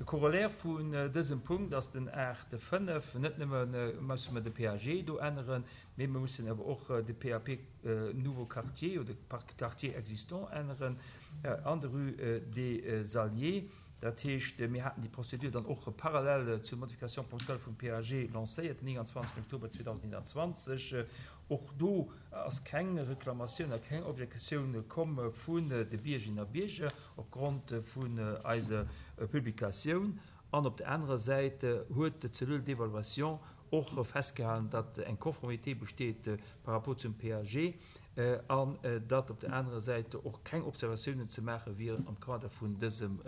De Corollaire vun dësem Punkt ass den Art. 5. Net nëmme musse mer de PAG do änneren, mee mer mussen awer och de PAP Nouveau Quartier oder Quartier existant änneren an der Rue des Alliés. Dat heescht, mir haten déi Procédure dann och parallel zur Modification ponctuelle vum PAG lancéiert den 29 Oktober 2021. Och do ass keng Reklamatioun a keng Objektioun komm vun de Biergerinnen a Bierger opgrond vun eiser Publikatioun. An op der anerer Säit huet d'Cellule d'évaluation och festgehalen, datt eng Conformité besteet par rapport zum PAG an datt op der anerer Säit och keng Observatiounen ze maache wieren am Kader vun dësem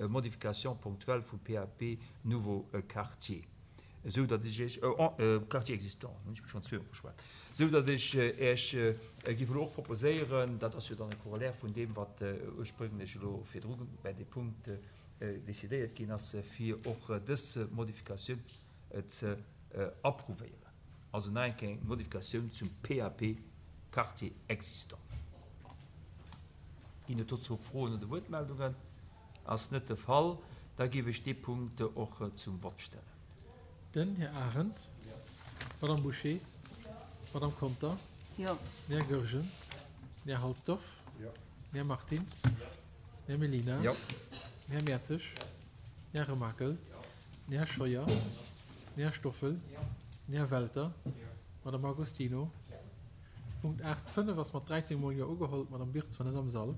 Modification ponctuelle vum PAP Nouveau Quartier, esou datt ech Iech, Quartier existant, hunn ech mech schonn zweemol verschwat, esou datt ech Iech géif elo och proposéieren, dat ass jo dann e Corollaire vun deem, wat ursprénglech elo virdru bäi deem Punkt decidéiert ginn ass, fir och dës Modifikatioun ze approuvéieren. Also nach eng Kéier eng Modifikatioun zum PAP Quartier existant. Ginn et dozou Froen oder Wuertmeldungen? Ass net de Fall. Da géif ech dee Punkt och zum Vott stellen. Den Här Arendt. Jo. D'Madame Bouché. Jo. D'Madame Conter. Jo. Den Här Goergen. Den Här Halsdorf. Jo. Den Här Martins. Jo. Den Här Mellina. Jo. Den Här Mertzig. Jo. Den Här Remakel. Jo. Den Här Scheuer. Den Här Stoffel. Den Här Welter. D'Madame Agostino. Punkt 8, 5 ass mat 13 mol Jo ugeholl. D'Madame Birtz war net am Sall.